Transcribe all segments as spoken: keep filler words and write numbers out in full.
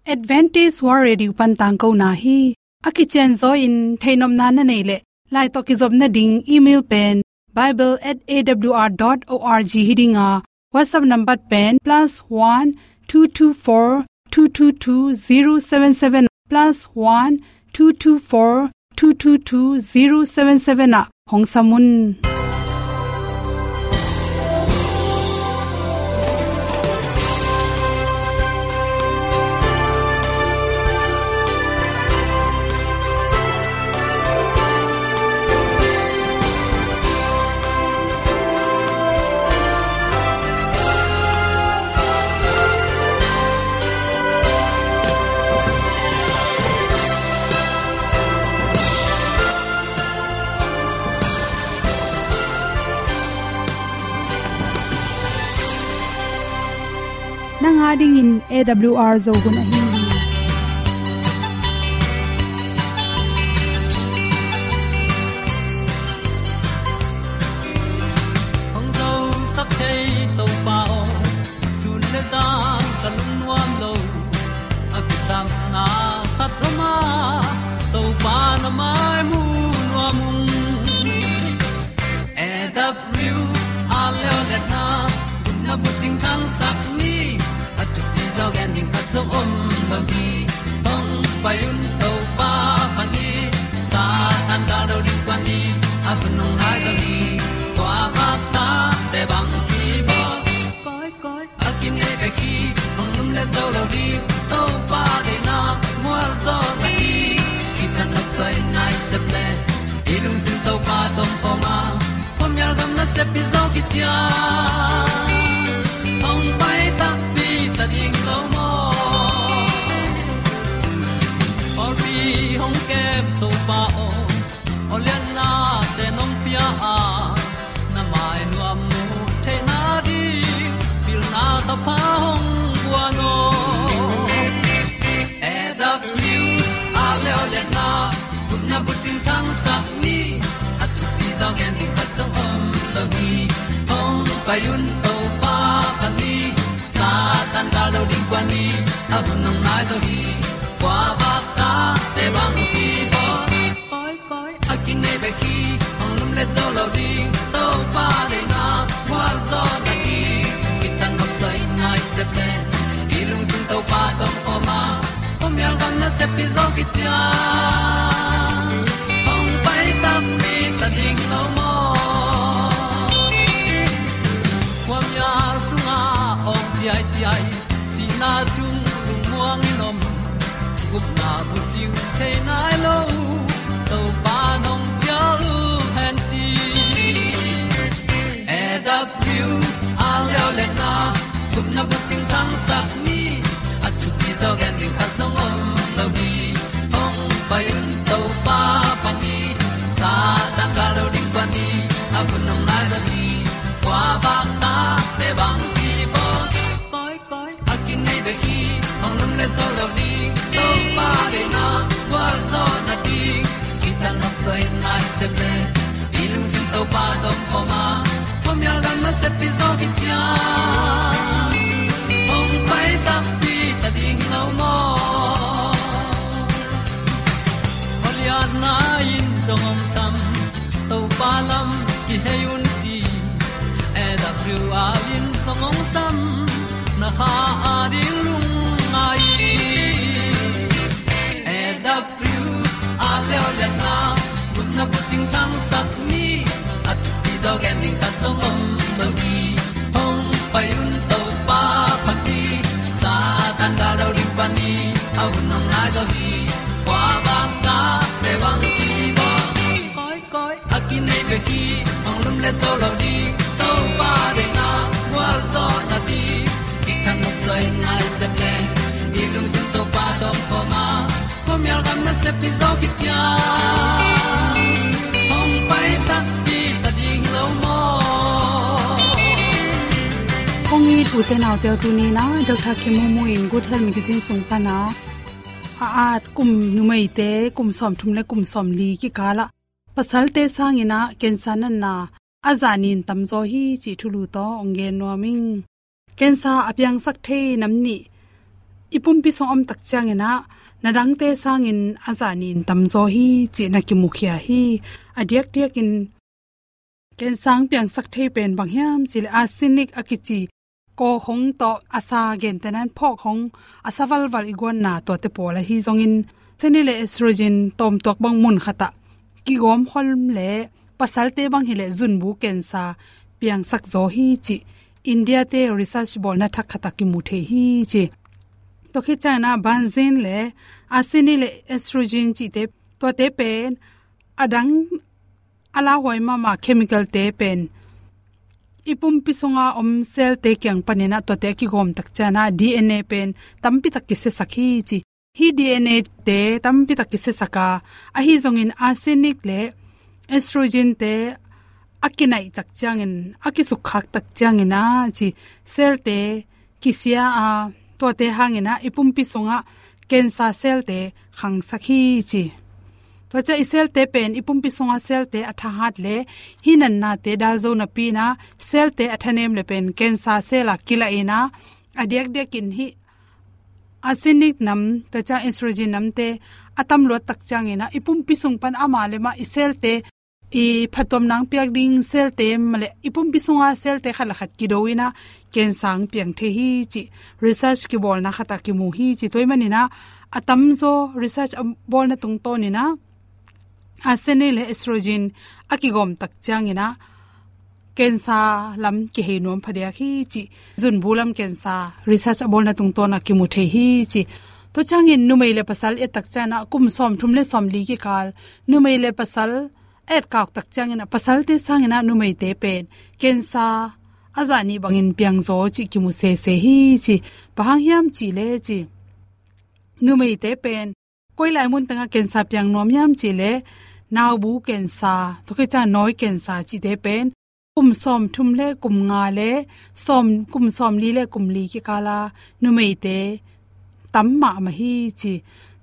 Adventist World Radio pan tangkona hi. A kicianzaw in theihnopna na neih leh, lai tawh kizopna ding email pen bible at A W R dot org hi ding a, WhatsApp number pen plus one two two four two two two zero seven seven, plus one two two four two two two zero seven seven ah hong sam un. Nang a dingin A W R Zo hun ahi hi. Hong zosak thei Topa aw, sun le zan ka lungnuam lo. A kisapna khat om a, Topa na mai mu nuam ung. A W R leo le na, na bucing thangsak ni, a thupi zaw gen ding khat zong om lo hi. Hong pai un Topa pan hi, Satan gal do ding kuan hi, a hun hong nai zaw hi. Kua vak ta te bang hi baw. Koi, koi, a kinei bek hi, hong lum le zo lo ding, Topa deihna mual zaw na hi. Kitang nop sai nai sep le, i lungsim Topa tawh om a, khuamial gam nasep hi zaw kician. Hong pai takpi ta ding lo maw. Pawlpi hong kem Topa aw, aw lianna te nong pia a, na mai nuam mu theihna ding, pilna thapha hong guan aw. A W R leo le na, gupna bucing thangsak ni, a thupi zaw gen ding khat zong om lo hi. Hong pai un Topa pan hi, Satan gal do ding kuan hi, a hun hong nai zaw hi. Kua vak ta te bang hi baw. Koi, koi, a kinei bek hi, hong lum le zo lo ding, Topa deihna mual zaw na hi. Kitang nop sai nai sep le, i lungsim Topa tawh om a, khuamial gam nasep hi zaw kician. Hong pai takpi ta ding lo maw. Khuamial sungah awng ciaiciai, sihna sung lungmuang in om, gupna bucing thei nai lo, Topa nong cial hen ci. A W R leo le na, gupna bucing thangsak ni, a thupi zaw gen ding khat zong om lo hi. Hong pai un Topa pan hi, Satan gal do ding kuan hi, a hun hong nai zaw hi. Kua vak ta te bang hi baw. Koi, koi, a kinei bek hi, hong lum le zo lo ding, Topa deihna gual zaw na ding. Kitang nop sai nai sep le, i lungsim Topa tawh om a, khuamial gam nasep hi zaw kician. Hong pai takpi ta ding lo maw. Aw lianna in zong hong sam, Topa lam kihei un ci. A W R in zong hong sam, na kha a ding lungngai. A W R leo le na, gupna bucing thangsak ni, a thupi zaw gen ding khat zong om lo hi. Hong pai un Topa pan hi, Satan gal do ding pan hi, a hun hong nai zaw hi. Kua vak ta te bang hi baw. Koi, koi, a kinei bek hi, hong lum le zo lo ding, Topa deihna gual zaw na ding. Kitang nop sai nai sep le, i lungsim Topa tawh om a, khuamial gam nasep hi zaw kician. Hong pai takpi ta ding lo maw. Kong it u te nau te, tuni in ah Doctor Kim Mu Mu in Good Health Magazine sung pan a, a at kum, numeite kum sawmthum le kum sawmli kikal ah pasalte sangin ah cancer natna a zah nin tamzaw hi cih thulu tawh hong gen nuam ing. Cancer a piangsak thei nam nih i pumpi sung om tak ciangin ah na dangte sangin a zah nih in tamzaw hi cih na kimukhia hi. A diakdiakin cancer piangsak thei pen bang hiam cih leh arsenic a kici kawkhong tawh a sa gentehna in phawkhong a sa valval i guanna tuate pawl ahi zongin, arsenic le estrogen tawmtuak bang mun khatah kigawm khol leh pasalte bang hi leh zunbu cancer piangsak zaw hi cih India-te research bawlna thak khatah kimu thei hi ci. Tua khit ciangin ah benzene le arsenic le estrogen cihte, tuate pen a dang a lauhuai mahmah chemical-te pen i pumpi sunga om cell-te kiang panin ah tuate a kigawm tak ciangin ah D N A pen tampi tak kisiasak hi ci. Hih D N A-te tampi tak kisiasak a, ahi zongin arsenic le estrogen-te a kinaih tak ciangin, a kisukkhak tak ciangin ah ci, cell-te kisia a, tuate hangin ah i pumpi sungah cancer cell-te khangsak hi ci. Tua ciang i cell-te pen i pumpi sunga cell-te a thahat leh hih natnate dal zo napi-in ah cell-te a thanem leh pen cancer cell-a kilahin ah, a diakdiakin hih arsenic nam, tua ciang estrogen namte a tamluat tak ciangin ah i pumpi sung pan amah le amah i cell-te, i phattuamna piak ding cell-te mah leh i pumpi sunga cell-te khat le khat kido in ah cancer piang thei hi cih research kibawlna khatah kimu hi ci. Tua ahih manin ah a tamzaw research a bawlna tungtawnin ah arsenic le estrogen a kigawm tak ciangin ah cancer lam kihei nuam phadiak hi ci. Zunbu lam cancer research a bawlna tungtawn ah kimu thei hi ci. Tua ciangin numei le pasal et tak ciangin ah kum sawmthum le sawmli kikal numei le pasal etkak tak ciangin ah pasalte sangin ah numeite pen cancer a zah nih bangin piangzaw cih kimu sese hi ci. Bang hang hiam cih leh ci, numeite pen koi lai mun tengah cancer piang nuam hiam cih leh naubu cancer, tua khit ciang nawi cancer cihte pen kum sawmthum le kum nga le sawm, kum sawmli le kum li kikal a numeite tam mahmah hi ci.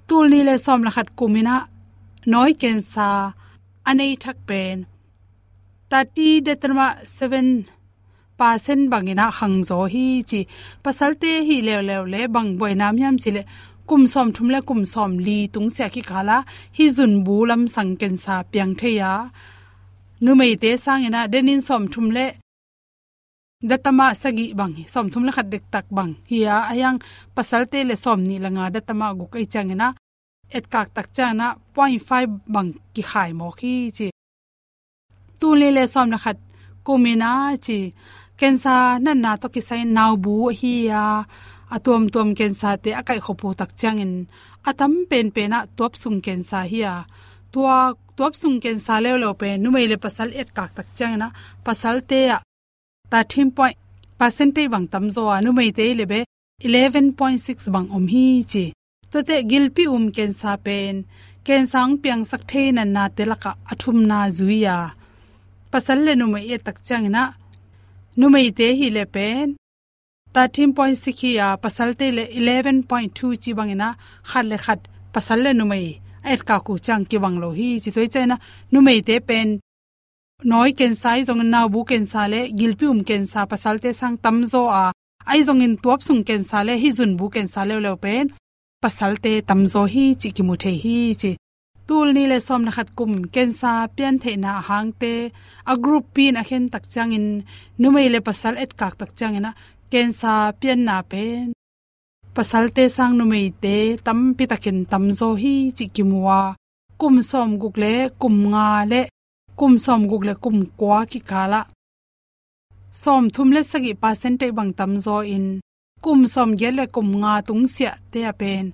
Tul nih le sawm le khat kumin ah nawi cancer a nei thak pen thirty datamat seven percent bangin ah khangzaw hi ci. Pasalte hi leuleu leh bang buaina om hiam cih leh kum sawmthum le kum sawmli tungsiah kikal ah hih zunbu lamsang cancer piang thei a, numeite sangin ah denin sawmthum le datamat sagih bang hi, sawmthum le khat dektak bang hi a, ahi hang pasalte leh sawmnih le nga datamat guk ahih ciangin ah etkak tak ciangin ah point five bang kikhai mawk hi ci. Tul nih le sawm le khat kumin ah ci, cancer natna tawh kisai naubu ahi a, a tuamtuam cancer-te a kaihkhop uh tak ciangin a tam penpen ah tuapsung cancer hi a, tua tuapsung cancer leuleu pen numei le pasal etkak tak ciangin ah pasalte ah thirteen point percentage bang tamzaw a, numeite leh bel eleven point six bang om hi ci. Tuate gilpi um cancer pen cancer hong piangsak thei natnate lakah a thumna zui a, pasal le numei et tak ciangin ah numeite hi leh pen thirteen point six hi a, pasalte leh eleven point two ci bangin ah khat le khat pasal le numei a etkak uh ciang kibang lo hi ci. Tua ahih ciangin ah numeite pen nawi cancer ahi zongin, naubu cancer le gilpi um cancer pasalte sang tamzaw a, ahi zongin tuapsung cancer le hih zunbu cancer leuleu pen pasalte tamzaw hi cih kimu thei hi ci. Tul nih le sawm le khat kum cancer piantheihna a hangte a group pi-in a khen tak ciangin numei le pasal etkak tak ciangin ah cancer pianna pen pasalte sang numeite tampi takin tamzaw hi cih kimu a, kum sawmguk le kum nga le kum sawmguk le kum kua kikal ah sawmthum le sagih percentage bang tamzaw in, kum sawmgiat le kum nga tungsiahte ah pen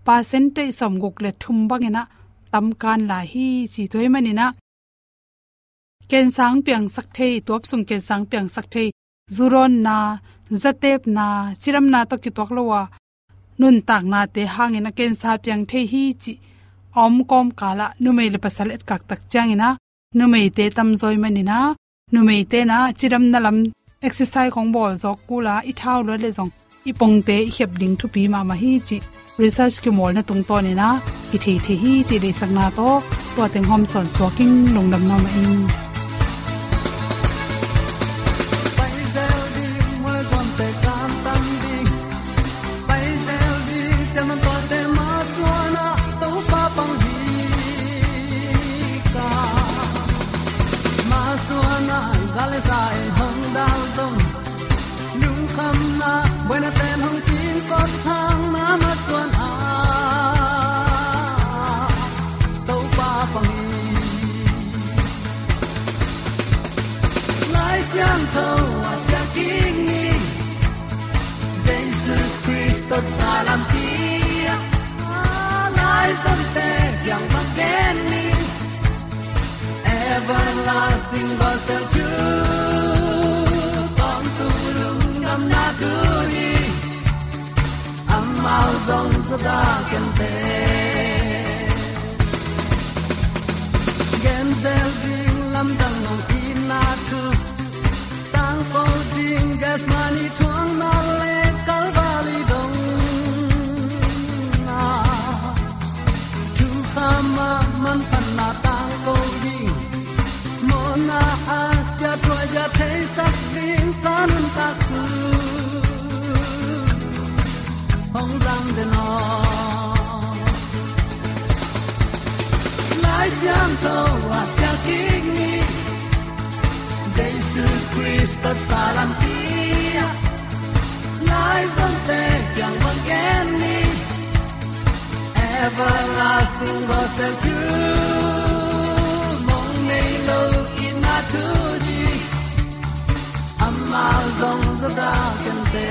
percentage sawmguk le thum bangin ah tamkan lai hi ci. Tua ahih manin ah cancer hong piangsak thei, tuapsung cancer hong piangsak thei, zudawnna, zatepna, cidamna tawh kituak lo a nuntaknate hangin ah cancer piang thei hi cih a om kawmkal ah numei le pasal etkak tak ciangin ah numeite tamzaw ahih manin ah numeite in ah cidamna lam exercise khong bawl zawk kul a, i thau luat leh zong i pongte i khep ding thupi mahmah hi cih research kimawlna tungtawnin ah i thei thei hi cih deihsakna tawh tua teng hawmsawn suak ing. Lungdam mahmah ing. Everlasting gospel truth. Tawmtu lungdamna thu hi amau zong zata kente. Gen zel ding lamdang mong itna thu. Tangko ding Gethsemane thuakna le Calvary dong a. Thukham a manphatna tangko ding. Mawhna a siathuai zia theisak ding ka nuntak sung hong zang den aw. Lai Siangtho a ciah kik ni. Jesu Khrist tawh sa lampi ah lai zongte kiang bang gen ni. Everlasting gospel truth. Mong nei lo itna thu hi amau zong zata kente.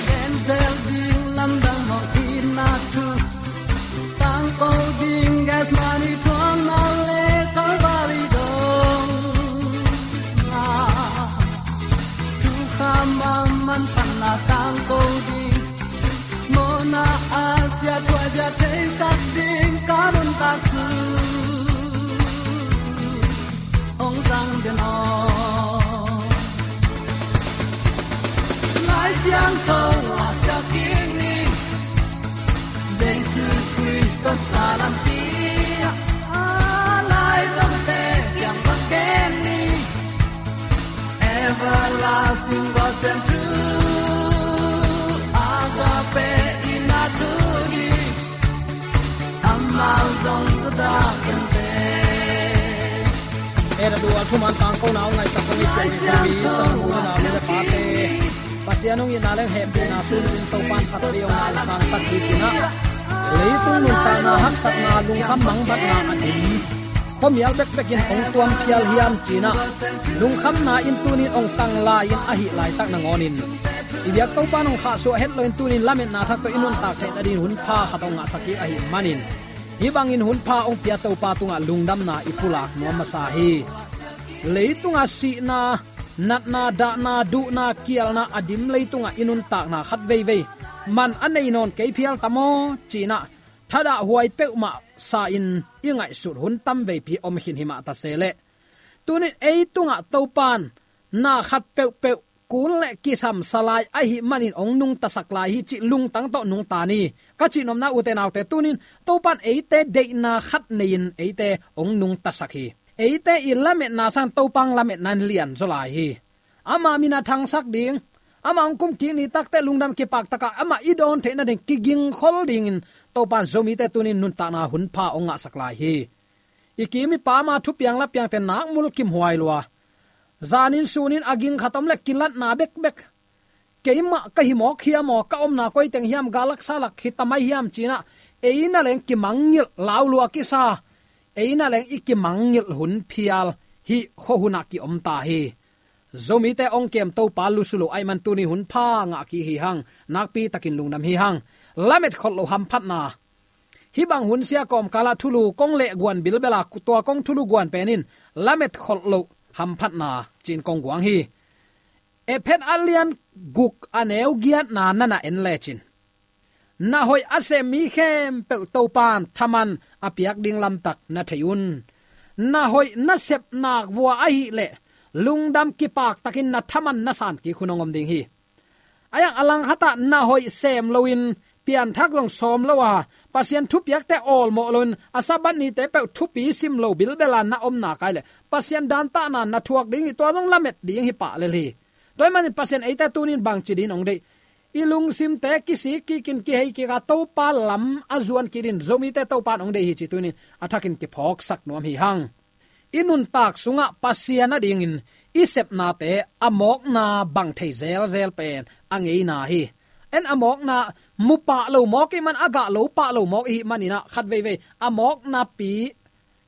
Gen zel ding lamdang mong itna thu. Tangko ding Gethsemane thuakna le Calvary dong a. Thukham a manphatna tangko ding. Mawhna a siathuai zia theisak ding ka nuntak sung hong zang den aw. Lai Siangtho a ciah kik ni. Jesu Khrist tawh sa lampi ah lai zongte kiang bang gen ni. Everlasting gospel truth. Agape itna thu hi amau zong zata kente. Ei, a duh a thuman tangkona hong ngaihsak kong i pian Zomi sanggamte, u le nau, nu le pate, Pasian hong itna leh hehpihna tuni-in Topa'n khatvei hong nangsansak ding hi-in ah, leitung nuntakna haksatna, lungkham mangbatna a dim khuamial bekbek in hong tuam phial hiam ci-in ah, lungkhamna in tuni-in hong tang lai-in, ahih laitak nangawnin i biak Topa'n hong khahsuah het loin tuni-in lametna thak tawh i nuntak theih nadingin hun pha khat hong ngahsak kik ahih manin, hih bangin hun pha hong pia Topa tungah lungdamna i pulak nuam masa hi. Leitungah sihna, natna, dahna, duhna, kialna a dim leitungah i nuntakna khat veivei man a nei nawn kei phial tam aw ci-in ah, thadah huai peuhmah sa-in i ngaihsut hun tam veipi om khin himah ta se leh, tuni-in ei tungah Topa'n na khat peuhpeuh kun le kisam sa lai ahih manin hong nungtasak lai hi cih lungtang tawh nungta ni. Ka cihnopna, ute naute, tuni-in Topa'n eite deihna khat nei-in eite hong nungtasak hi. Eite i lametna sangin Topa hong lametna in lianzaw lai hi. Ama min a thangsak ding, ama hong kumkik ni takteh lungdam kipaktak a amah i dawn theih nading kigingkhol dingin Topa'n Zomite tuni-in nuntakna hun pha hong ngahsak lai hi. I kim i pam a thupiang lapiangte nak mulkimhuai lua, zanin sunin a ging khat om leh kilatna bekbek. Keimah ka hi mawk hiam aw, ka omna koi teng hiam, gal lak sa lak hi ta mai hiam ci-in ah, ei na leng kimangngilh, lau lua kisa, ei na leng i kimangngilh hun phial hih khuahun ah ki-om ta hi. Zomite hong kem Topa lusu lo ahih man tuni hun pha ngah kik hi hang, nakpi takin lungdam hi hang. Lamet kholh loh hamphatna. Hih bang hun sia kawmkal ah thulu kong leh guan bilbel a, tua kong thulu guan pen in lamet kholh loh hamphatna ci-in kong guang hi. Efesa a lian guk a neu giatna na na en lecin, na hoih a sem mi khempeuh Topa'n thaman a piak ding lamtak na thei un. Na hoih na sep nak vua ahih leh lungdam kipaktakin na thaman na san kik hun hong om ding hi. A iang a lang khat ah na hoih sem loin, pianthak zong sawm lo a, Pasian thupiakte awlmawh loin, a Sabbath nite peuh thupi sim lo bilbel a na om nak leh Pasian dantahna na thuak ding hi, tua zong lamet ding hi pah lel hi. Tua ahih manin Pasian eite tuni-in bangci dingin hong deih? I lungsimte kisik kikin, kihei kik a, Topa lam a zuan kik dingin Zomite Topa'n hong deih hi cih tuni-in a thakin kiphawksak nuam hi hang. I nuntak sungah Pasian adingin i sepnate a mawkna bang thei zelzel pen a ngeina hi. En a mawkna mu pah lo mawk ih man, a gah lo pah lo mawk ih manin ah khat veivei a mawknapi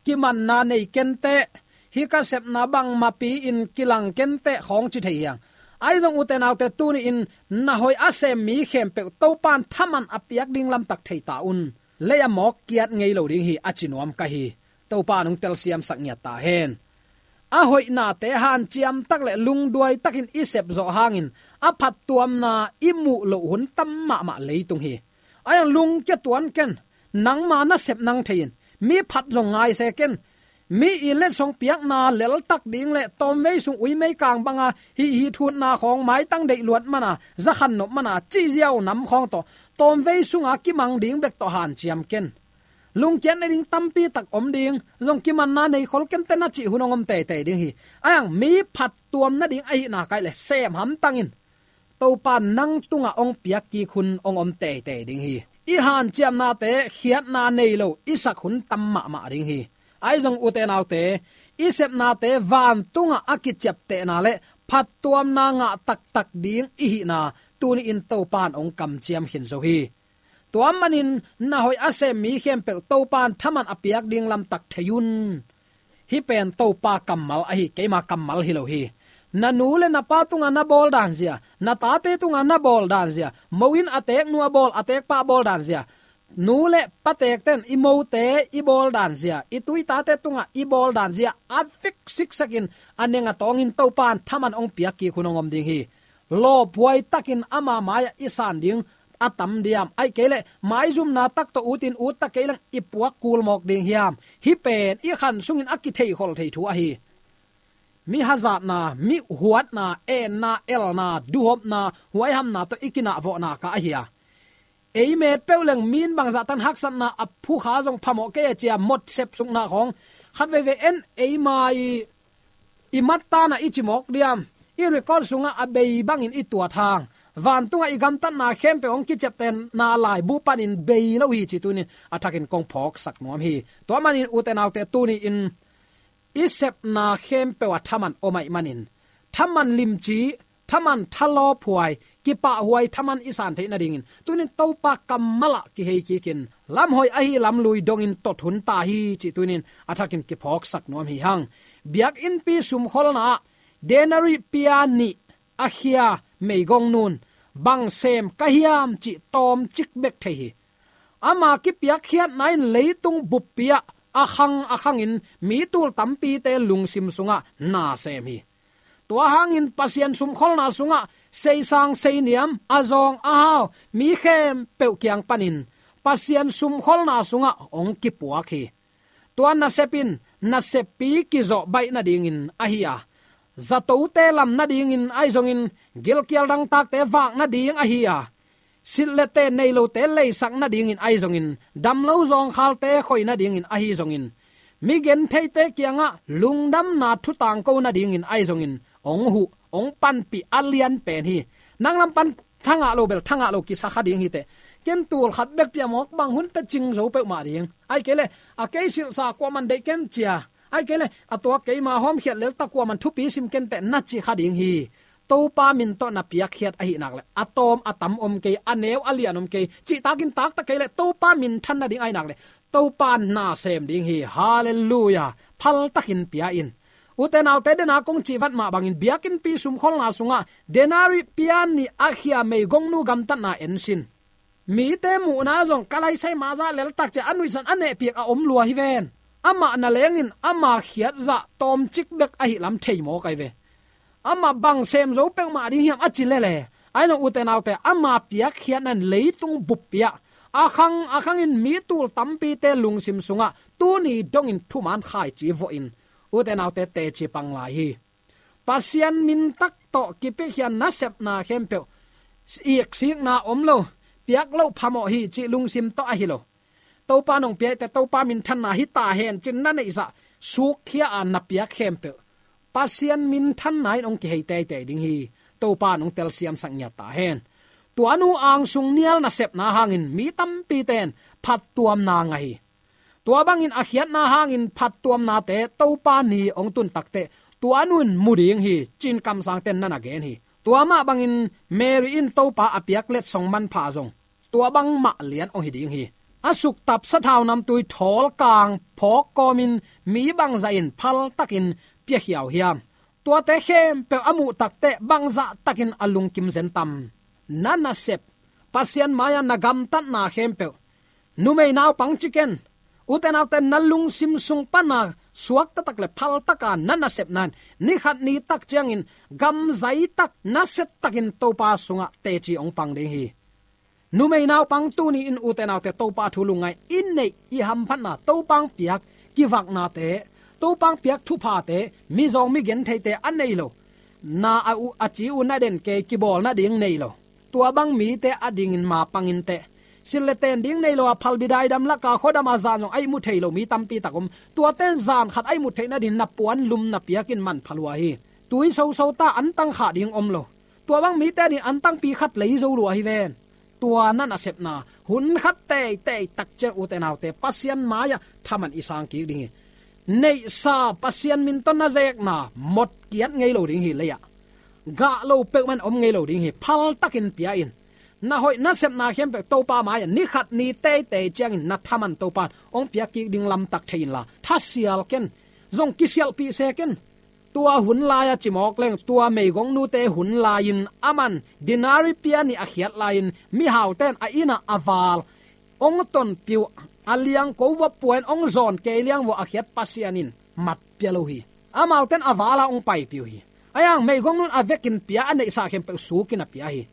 kimanna nei kenteh, hih ka sepna bangmapi in kilang kenteh khawng ci thei hi hang. Ahi zong ute naute, tuni-in na hoih a sem mi khempeuh Topa'n thaman a piak ding lamtak thei ta un. Lei a mawk kiat ngei lo ding hi, a ci nuam ka hi. Topa'n hong telsiamsak ngiat ta hen. A hoihnate hanciam tak le lungduai takin i sep zawh hangin a phattuamna i muh loh hun tam mahmah leitung hi. Ahi hang lungkia tuan ken, nangma na sep nang thei in, mi phat zong ngai se ken. Mi i letsong piakna leltak ding le tawmvei sung uimei kang banga hih hih thutna khawng, maitang deih luat mana, zakhan nop mana, cih ziau nam khawng tawh tawmvei sunga kimang ding bek tawh hanciam ken. Lungkiat nading tampi tak om ding, zong kimanna nei khol kenteh na cih hun hong om teitei ding hi. Ahi hang mi phattuam nading ahih nak leh sem hamtang in. Topa nang tungah hong piak kik hun hong om teitei ding hi. I hanciamnate khiatna nei lo i sak hun tam mahmah ding hi. Ahi zong ute naute, i sepnate vantungah a kiciaptehna le phattuamna ngah taktak ding i hihna tuni-in Topa'n hong kamciam khin zo hi. Tua manin na hoih a sem mi khempeuh Topa'n thaman a piak ding lamtak thei un. Hih pen Topa kammal ahi, keima kammal hi lo hi. Na nu le na pa tungah na bawl dan zia, na tate tungah na bawl dan zia, mo in a teek nu a bawl, a teek pa a bawl dan zia, nu le pa teekten i mote i bawl dan zia, i tu i tate tungah i bawl dan zia a fik siksakin, a neng a tawngin Topa'n thaman hong piak kik hun hong om ding hi. Lawphuai takin ama mai-ah i san ding a tam diam? Ahih kei leh maizumna tak tawh utin ut ta kei leng i puak kul mawk ding hiam? Hih pen i khan sungin a kitheikhol thei thu ahi. Mi hazatna, mi huatna, enna, elna, duhopna, huaihamna tawh i kinahvawhna kha ahi a. Ei met peuh leng mi in bangzah tan haksatna a phukha zong phamawh kei a ci a, mot sep sukna khawng. Khat veivei en, eima i, i mat tana i ci mawk diam? I record sungah a bei bangin i tuat hang, vantungah i gamtatna khempeuh hong kiciaptehna laibu panin bei lo hi cih tuni-in a thakin kong phawksak nuam hi. Tua manin ute naute, tuni-in i sepna khempeuh ah thaman om ahih manin, thaman limci, thaman thalawphuai, kipahhuai thaman i san theih nadingin tuni-in Topa kammal ah kihei kikin, lamhoih ahi lamlui dongin tot hun ta hi cih tuni-in a thakin kiphawksak nuam hi hang. Biakinnpi sumkholna ah denari pia nih a khia meigongnu'n bang sem ka hiam cih tawmcik bek thei hi. Ama kipiakkhiatna in leitung buppi ah a khang a khangin mi tul tampite lungsim sungah na sem hi. Tua hangin Pasian sumkholna sungah seisang seiniam, a zawng a hau mi khempeuh kiang panin Pasian sumkholna sungah hong kipuak hi. Tua nasep in naseppi kizawh baih nadingin ahi a, zatote lam nadingin ahi zongin, gilkial dangtakte vak nading ahi a, silh le ten nei lote leisak nadingin ahi zongin, damlo zawngkhalte khoi nadingin ahi zongin, mi gentheite kiangah lungdamna thu tangko nadingin ahi zongin, hong huh, hong panpih a lian pen hi. Nang lam pan thangah lo bel thangah lo kisa kha ding hi teh. Ken tul khat bek pia mawk, bang hun teh cing zo peuhmah ding. Ahih kei leh a kei silhsa kuaman deih ken ci a, ahih kei leh a tua keima hawmkhiat leltak kuaman thupi sim ken teh na ci kha ding hi. Topa min tawh na piakkhiat ahih nak leh a tawm a tam om kei, a neu a lian om kei, cihtakin taktak kei leh Topa minthan nading ahih nak leh Topa na sem ding hi. Halleluiah. Phaltakin pia in. Ute naute, dena kong cih vat mah bangin biakinnpi sumkholna sungah denari pia nih a khia meigongnu gamtatna en sin. Mite muhna zong ka laisai mah zah leltak ci a, a nuihsan a nehpiak a om lua hi ven. Amah nalengin ama khiat zah tawmcik bek ahih lam thei mawk ahi ve. Amah bang sem zo peuhmah ding hiam a ci lele. Ahi zong ute naute, ama piakkhiatna in leitung buppi ah a khang a khangin mi tul tampite lungsim sungah tuni dongin thuman khaici vawhin, ute naute, teci pang lai hi. Pasian min tak tawh kipiakhia nasepna khempeuh iksikna om lo, piak loh phamawh hi cih lungsim tawh ahi lo. Topa nong piakte, Topa minthanna hi ta hen ci-in na neihzah, sukkhia a na piak khempeuh Pasian minthanna in hong kihei teitei ding hi. Topa nong telsiamsak ngiat ta hen. Tua nu angsung nial nasepna hangin mi tampite in phattuamna ngah hi. Tua bangin a khiatna hangin phattuamnate Topa ni hong tun takteh tua nu in mu ding hi, ci-in kamsangte in na na gen hi. Tua mah bangin Mary in Topa a piak letsong manpha zong tua bangmah lian hong hi ding hi. A suktap sathau namtui thawlkang phawk kawmin mi bangzah in phaltakin piakhia uh hiam? Tuate khempeuh a muh takteh bangzah takin a lungkim zen tam? Na nasep, Pasian mai-ah na gamtatna khempeuh, numei naupang ci ken, ute naute, na lungsim sung pana suak taktak le phaltaka na nasepna in nikhat nitak ciangin gamzai tak, nasia takin Topa sungah teci hong pang ding hi. Numei naupang tuni in, ute naute, Topa thu lungngai, i neih i hamphatna, Topa hong piak kivaknate, Topa hong piak thuphate, mizawng migentheite a nei lo, na a u, a ci uh na den kei, kibawl nading nei lo, tua bang mite adingin ma pang inteh. Silh le ten ding nei lo a, phalbi daidam laka khuadam a zan zong a ihmu thei lo mi tampi tak om. Tuate in zan khat a ihmu theih nading na puan lum na piakin manpha lua hi. Tui soso ta, antang khah ding om lo. Tua bang mite adingin antangpi khat lei zo lua hi ven. Tua na nasepna, hun khat teitei tak ciang, ute naute, Pasian mai-ah thaman i sang kik ding hi. Neihsa, Pasian min tawh na zekna mawk kiat ngei lo ding hi lei-ah. Gah lo peuhmah in om ngei lo ding hi. Phaltakin pia in. Na hoih nasepna khempeuh Topa mai-ah nikhat ni teitei ciangin na thaman Topa in hong piak kik ding lamtak thei inla, thasial ken, zong kisialhpih se ken. Tua hun lai-a ci mawk leng, tua meigong nute hun lai-in aman denari pia nih a khiat lai-in, mihaute in a innah a val hong tonpih uh, a liangko va pua in hong zawn kei liang vua a khiat Pasian in mat pia lo hi. Amaute in a val-a hong paipih uh hi. Ahi hang meigong nu in a vekin pia, a neihsa khempeuh sukin a pia hi.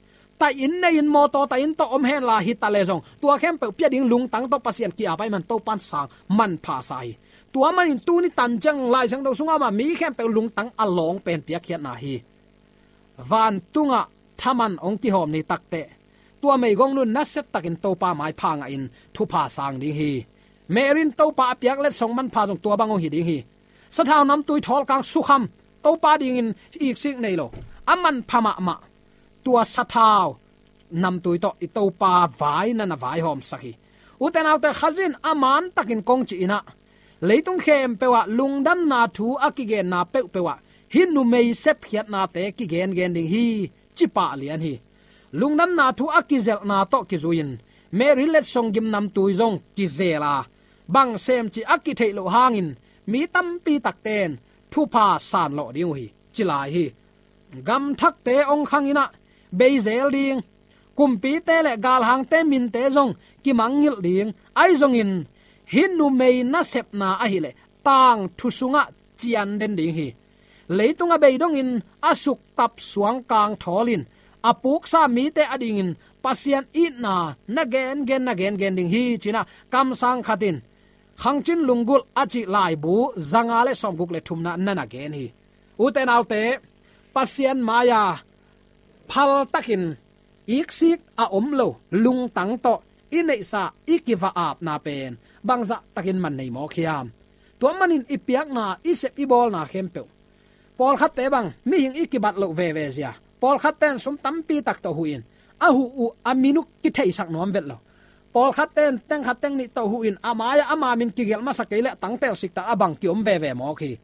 Taih inn nei-in, mawtaw taih inn tawh om henla, hi ta leh zong tua khempeuh pia ding lungtang tawh Pasian ki-ap ahih man Topa in sang manpha sa hi. Tua manin tuni tan ciang Lai Siangtho sungah mah mi khempeuh lungtang a lawng pen piakkhiatna hi. Vantungah thaman hong kihawm ni takteh, tua meigong nu in nasia takin Topa maipha ngahin thupha sang ding hi. Mary in Topa a piak letsong manpha zong tua bang hong hi ding hi. Sathau namtui thawlkang sukham, Topa dingin iksik nei lo, a manpha mahmah, tua sathau namtui tawh i Topa vai na na vaihawmsak hi. Ute naute, Khazih in a mantakin kong cih in ah, leitung khempeuh ah lungdamna thu a kigenna peuhpeuh ah hih numei sepkhiatnate kigengen ding hi, ci pah lian hi. Lungdamna thu a kizelhna tawh kizui-in Mary letsong gimnamtui zong kizel a, bang sem cih a kitheih loh hangin mi tampi takte in thupha sanlawh ding uh hi, ci lai hi. Gamthakte hong khang in ah, bei zel ding, kumpite le galhangte minte zong kimangngilh ding, ahi zongin hih numei nasepna ahih leh tangthu sungah cian den ding hi. Leitung a bei dongin a suktap suangkang thawl in a puksa mite adingin Pasian itna na gengen, na gengen ding hi, ci-in ah kamsang khat in Khangcin Lunggulh a cih laibu zanga le sawmguk le thumna na na gen hi. Ute naute, Pasian mai-a phaltakin iksik a om lo, lungtang tawh i neihsa, i kiva-apna pen bangzah takin man nei mawk hiam? Tua manin i piakna, i sep i bawlna khempeuh, pawlkhatte bang mihing i kibat loh veve zia, pawlkhatte in sum tampi tak tawh huh in, a huh uh a min uh kitheisak nuam vet lo. Pawlkhatte in teng khat teng nih tawh huh in, a mai-ah ama min kigelh masa kei leh tangtel siktak a bang kiom veve mawk hi.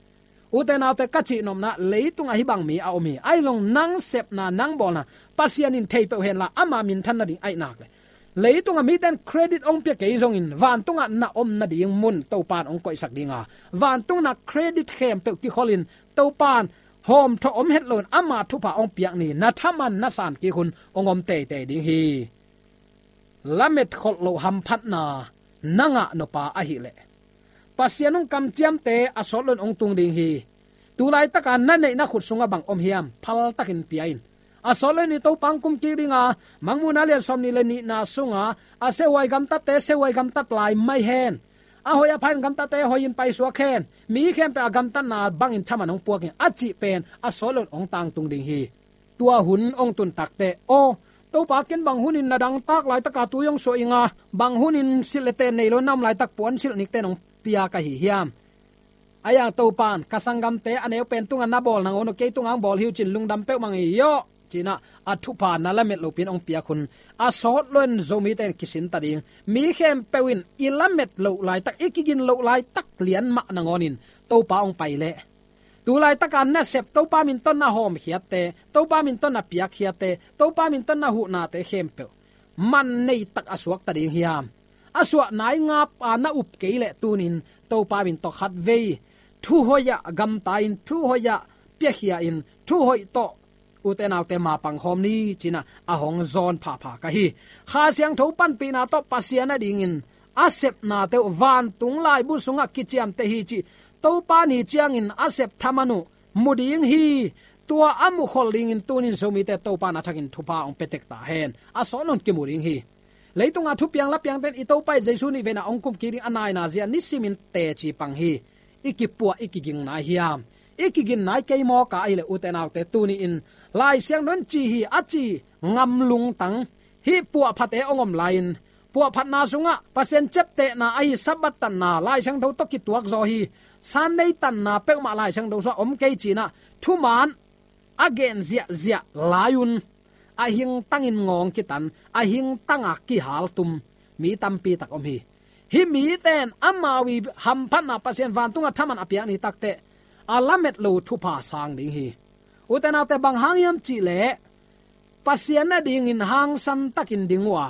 Ute naute, ka cihnopna, leitungah hih bang mi a om hi. Ahi zong nang sepna, nang bawlna Pasian in thei peuh henla, ama minthan nading ahih nak leh, leitungah mite in credit hong pia kei zongin, vantungah na om nading mun Topa in hong koihsak ding a, vantung na credit khempeuh kikholhin Topa in hawmthawh om het loin ama thupha hong piak ni, na thaman na san kik hun hong om teitei ding hi. Lamet kholh loh hamphatna na ngah nop a ahih leh, Pasian hong kamciamte a sawt loin hong tung ding hi. Tu laitaka na neih na khut sungah bang om hiam, phaltakin pia in. A sawt loin i Topa hong kum kik ding a, Mangmuhna lian sawmnih le nihna sungah, a siahuai gamtatte siahuai gamtat lai mai hen, a hoih a pha in gamtatte hoihin paisuak hen, mi khempeuh a gamtatna bangin thaman hong puak in, a cih pen a sawt loin hong tangtung ding hi. Tua hun hong tun takteh, aw, Topa, ken bang hunin na dangtak laitaka tui hong suah ing a, bang hunin silh le ten nei lo na om laitak puan silh nikten hong pia ka hi hiam? Ahi hang Topa in, ka sanggamte a neu pen tungah na bawl nangawn uh, kei tungah hong bawl hi uh ci-in lungdam peuhmah ing ei aw, ci-in ah a thupha na lamet lopi-in hong piak hun, a sawt loin Zomite in kisin ta ding. Mi khempeuh in i lamet loh laitak, i kigin loh laitak lian mah nangawnin Topa hong pai leh, Tu laitaka nasep Topa min tawh na hawmkhiatte, Topa min tawh na piakkhiatte, Topa min tawh na huhnate khempeuh man neitak a suakta ding hiam? A suahna i ngap a na up kei leh tunin Topa min tawh khatvei thuhoih ah gamta-in, thuhoih ah piakhia-in, thuhoih tawh ute naute mapang khawm ni ci-in ah a hong zawn phapha ka hi. Kha Siangtho panpihna tawh Pasian adingin a sepnate uh vantung laibu sungah kiciamteh hi cih Topa ni ciangin a sep thaman uh mu ding hi. Tua a mukhol dingin tunin Zomite Topa in a thakin thupha hong pia tek ta hen. A sawt nawn kimu ding hi. Leitunga thupiang lapiangte'n i Topa i Jesu nih veina hong kumkik ding a naina zia nisimin teci pang hi. I kipuah, i kiging nai hiam? I kiging nai kei maw ka ahih leh ute naute, tuni-in Lai Siangtho in ci hi a ci ngam lungtang hih puahphate hong om lai-in, puahphatna sungah Pasian ciaptehna ahi Sabbath tanna Lai Siangtho tawh kituak zaw hi. Sunday tanna peuhmah Lai Siangtho sungah om kei ci-in ah thuman a gen ziahziah lai-un a hingtangin ngawng kitan, a hingtanga kihaltum mi tampi tak om hi. Hih mite'n amau i hamphatna Pasian vantunga thaman a piak ni takteh a lamet lo thupha sang ding hi. Ute naute, bang hang hiam cih leh Pasian adingin hangsan takin ding uh a,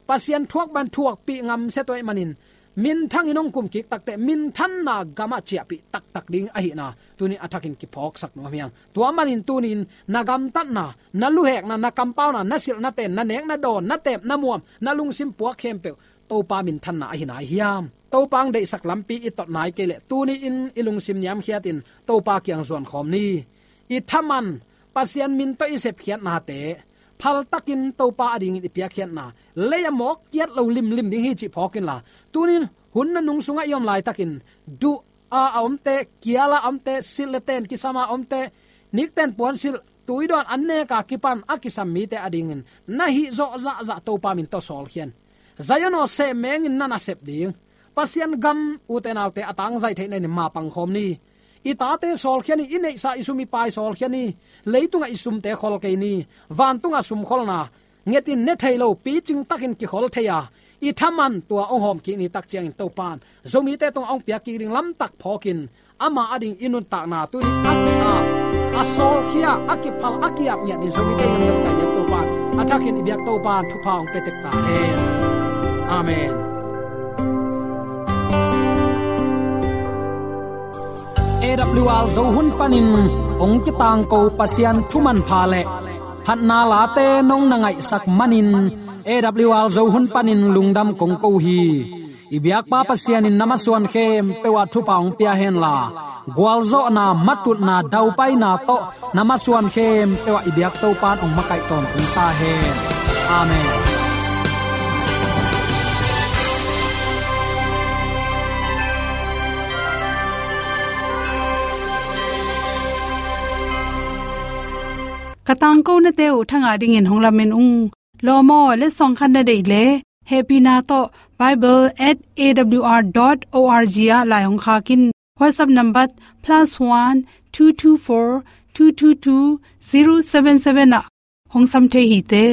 Pasian thuak bang thuakpih ngamsia tuah ahih manin minthangin hong kumkik takteh minthanna gamah ciahpih taktak ding ahihna tuni a thakin kiphawksak nuam hi hang. Tua manin tunin na gamtatna, na luhekna, na kampauna, na silh na ten, na nek na dawn, na teep na muam, na lungsim puak khempeuh Topa minthanna ahi nai hiam? Topa hong deihsak lampi i tot nai kei leh tuni-in i lungsim niamkhiatin Topa kiang zuan khawm ni. I thaman Pasian min tawh i sepkhiatnate phaltakin Topa adingin i piakkhiatna lei-ah mawk kiat lo limlim ding hi cih phawk inla, tunin hun nunung sungah i om laitakin duh a, a omte, kial a omte, silh le ten kisam a omte, nikten puansilh, tuidawn an nek a kipan a kisam mite adingin na hih zawh zahzah Topa min tawh sawlkhia in. Zion aw, sehmengin na nasep ding Pasian gam ute naute a tangzaih theihna in mapang khawm ni. I tate sawlkhia ni, i neihsa i sum i pai sawlkhia ni. Leitungah i sumte khol kei ni. Vantungah sumkholna ngetin ne thei lo, picing takin kikhol thei a, i thaman tua hong hawmkik ni tak ciangin Topa in Zomite tungah hong piakkik ding lamtak phawkin ama ading i nuntakna tuni a, a sawlkhia, a kiphal, a kiap ngiat in Zomite i gamtat kai biak Topa in a thakin i biak Topa in thupha hong pia tek ta hen. Amen. A W R Zo hun panin hong kitangko Pasian thu manpha le phatna late nong na ngaihsak manin A W R Zo hun panin lungdam kong ko hi. I biakpa Pasian in na masuan khempeuh ah thupha hong pia henla, gualzawhna, matutna, daupaina tawh na masuan khempeuh ah i biak Topa in hong makaih tawntung ta hen. Amen. Ka tangkonate uh thangah dingin hong lamen ung. Lawm aw, letsong khat na deih leh hehpihna tawh bible at A W R dot O R G ah lai hong khak in. WhatsApp number plus one two two four two two two zero seven seven ah hong sam thei hi te.